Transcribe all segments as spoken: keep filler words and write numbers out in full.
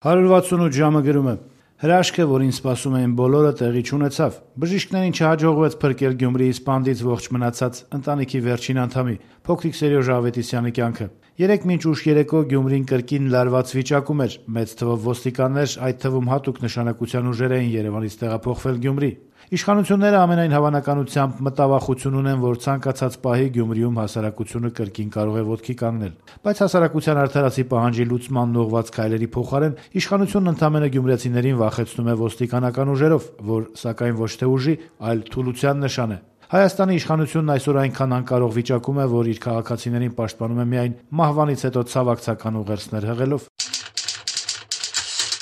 հարյուր վաթսունութ ժամը գրում է. հրաշքը, որին սպասում էին բոլորը, տեղի չունեցավ։ Բժիշկներին չհաջողվեց փրկել Գյումրիի սպանդից ողջ մնացած ընտանիքի վերջին անդամի՝ փոքրիկ Սերյոժ Ավետիսյանի կյանքը։ Երեկ մինչ ուշ երեկո Գյումրին կրկին լարված վիճակում էր։ Մեծ թվով ոստիկաններ, այդ թվում հատուկ նշանակության ուժեր էին Երևանից տեղափոխվել Գյումրի։ Իշխանությունները ամենայն հավանականությամբ մտավախություն ունեն, որ ցանկացած պահի Գյումրիում հասարակությունը կրկին կարող է ոտքի կանգնել։ Բայց հասարակության արդարացի պահանջի լուծմանն ուղղված քայլերի փոխարեն իշխանությունն ընդամենը գյումրեցիներին վախեցնում է ոստիկանական ուժերով, որ սակայն ոչ թե ուժի, այլ թուլության նշան է։ Հայաստանի իշխանությունն այսօր այնքան անկարող վիճակում է, որ իր քաղաքացիներին պաշտպանում է միայն մահվանից հետո ցավակցական ուղերձներ հղելով։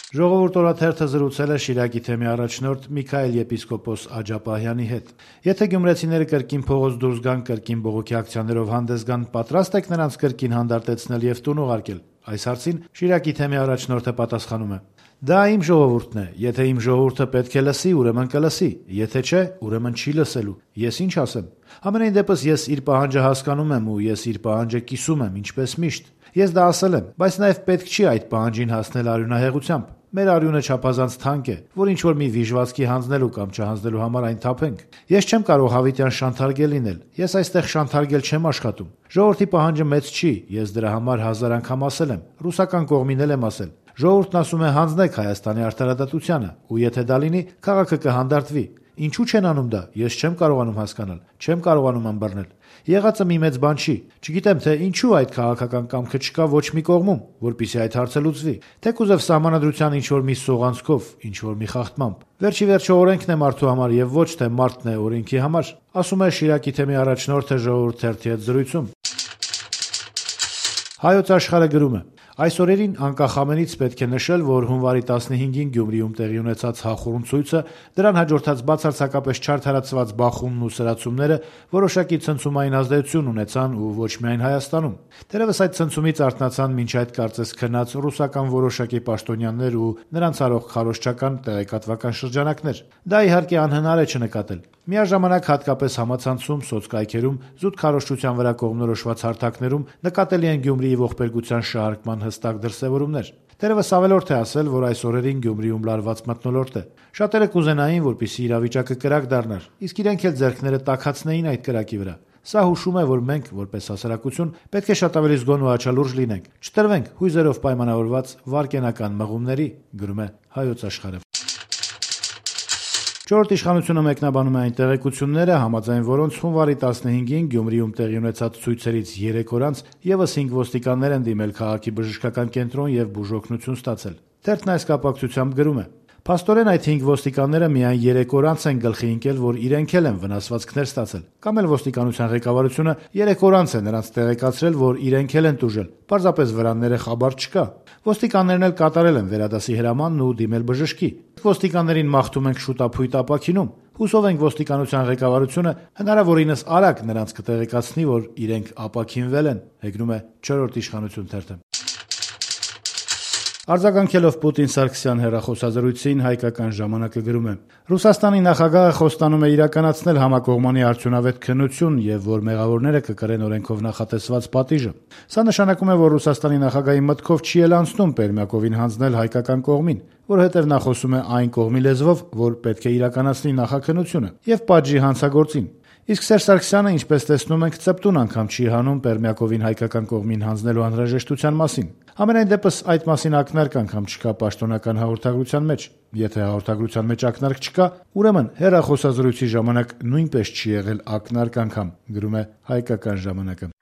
Ժողովուրդ օրաթերթը զրուցել է Շիրակի թեմի առաջնորդ Միքայել եպիսկոպոս Աջապահյանի հետ։ Եթե գյումրեցիները կրկին փողոց դուրս գան, կրկին բողոքի ակցիաներով հանդես գան, պատրաստ եք նրանց կրկին հանդարտեցնել եւ տուն ուղարկել։ Այս հարցին Շիրակի թեմի առաջնորդը պատասխանում է. Դա իմ ժողովուրդն է, եթե իմ ժողովուրդը պետք է լսի, ուրեմն կլսի, եթե չէ, ուրեմն չի լսելու։ Ես ինչ ասեմ։ Համենայն դեպս ես իր պահանջը հասկանում եմ ու ես իր պահանջը կիսում եմ, ինչպես միշտ։ Ես դա ասել եմ, բայց նաև պետք չի այդ պահանջին հասնել արյունահեղությամբ։ Մեր արյունը չափազանց թանկ է, որ ինչ-որ մի վիժվածքի հանձնելու կամ չհանձնելու համար այն թափենք։ Ես չեմ կարող հավիտյան շանթարգել լինել, ես այստեղ շանթարգել չեմ աշխատում։ Ժողովրդի պահանջը մեծ չի, ես դրա համար հազար անգամ ասել եմ, ռուսական կողմին էլ եմ ասել։ Ժողովուրդն ասում է հանձնեք Հայաստանի արդարադատությանը, ու եթե դա լինի, քաղաքը կհանդարտվի։ Ինչու չեն անում դա, ես չեմ կարողանում հասկանալ, չեմ կարողանում ըմբռնել։ Եղածը մի մեծ բան չի, չգիտեմ թե ինչու այդ քաղաքական կամքը չկա ոչ մի կողմում, որպեսզի այդ հարցը լուծվի։ Թեկուզև սահմանադրության ինչ-որ մի սողանցքով, ինչ-որ մի խախտմամբ։ Վերջի վերջո օրենքն է մարդու համար եւ ոչ թե մարդն է օրենքի համար, ասում է Շիրակի թեմի առաջնորդը Ժողովուրդ թերթի հետ զրույցում։ Հայոց աշխարհը գրում է. Այս օրերին անկախ ամենից պետք է նշել, որ հունվարի տասնհինգին Գյումրիում տեղի ունեցած հախուռն ցույցը, դրան հաջորդած բացարձակապես չարդարացված բախումն ու սրացումները որոշակի ցնցումային ազդեցություն ունեցան ու ոչ միայն Հայաստանում։ Դեռևս այդ ցնցումից արթնացան մինչ այդ կարծես քնած ռուսական որոշակի պաշտոնյաներ ու նրանց արող քարոզչական տեղեկատվական շրջանակներ։ Դա իհարկե անհնար է չնկատել։ Միաժամանակ հատկապես համացանցում, սոցկայքերում, զուտ քարոզչության վրա կողմնորոշված հարթակներում նկատելի են Գյումրիի ողբերգության շարժման հստակ դրսևորումներ։ Դեռևս ավելորդ է ասել, որ այս օրերին Գյումրիում լարված մթնոլորտ է։ Շատերը կուզենային, որպեսզի իրավիճակը կրակ դառնար, իսկ իրենք էլ ձեռքները տաքացնեին այդ կրակի վրա։ Սա հուշում է, որ մենք, որպես հասարակություն, պետք է շատ ավելի զգոն ու աչալուրջ լինենք, չտրվենք հույզերով պայմանավորված վարկենական մղումների, գրում է Հայոց աշխարհը։ Չորրորդ իշխանությունը մեկնաբանում է այն տեղեկությունները, համաձայն որոնց հունվարի տասնհինգին Գյումրիում տեղի ունեցած ցույցերից երեք օր անց ևս հինգ ոստիկաններ են դիմել քաղաքի բժշկական կենտրոն եւ բուժօգնություն ստացել։ Թերթն այս կապակցությամբ գրում է. Փաստորեն այդ հինգ ոստիկանները միայն երեք օր անց են գլխի ընկել, որ իրենք էլ են վնասվածքներ ստացել։ Կամ էլ ոստիկանության ղեկավարությունը երեք օր անց է նրանց տեղեկացրել, որ իրենք էլ են տուժել։ Պարզապես վրանները խաբար չկա։ Ոստիկաններն էլ կատարել են վերադասի հրամանն ու դիմել բժշկի։ Ոստիկաններին մաղթում ենք շուտափույթ ապաքինում։ Հուսով ենք ոստիկանության ղեկավարությունը հնարավորինս արագ նրանց կտեղեկացնի, որ իրենք ապաքինվել են, հեգնում է չորրորդ իշխանություն թերթը։ Արձագանքելով Պուտին Սարգսյան հեռախոսազրույցին հայկական ժամանակը գրում է. Ռուսաստանի նախագահը խոստանում է իրականացնել համակողմանի արդյունավետ քննություն եւ որ մեղավորները կկրեն օրենքով նախատեսված պատիժը։ Սա նշանակում է, որ Ռուսաստանի նախագահի մտքով չի էլ անցնում Պերմյակովին հանձնել հայկական կողմին, որովհետեւ նա խոսում է այն կողմի լեզվով, որ պետք է իրականացնի նախաքննությունը եւ պատժի հանցագործին։ Իսկ Սերժ Սարգսյանը, ինչպես տեսնում ենք, ծպտուն անգամ չի հանում Պերմյակովին հայկական կողմին հանձնելու անհրաժեշտության մասին։ Համենայն դեպս այդ մասին ակնարկ անգամ չկա պաշտոնական հաղորդագրության մեջ։ Եթե հաղորդագրության մեջ ակնարկ չկա, ուրեմն հեռախոսազրույցի ժամանակ նույնպես չի եղել ակնարկ անգամ, գրում է հայկական ժամանակը։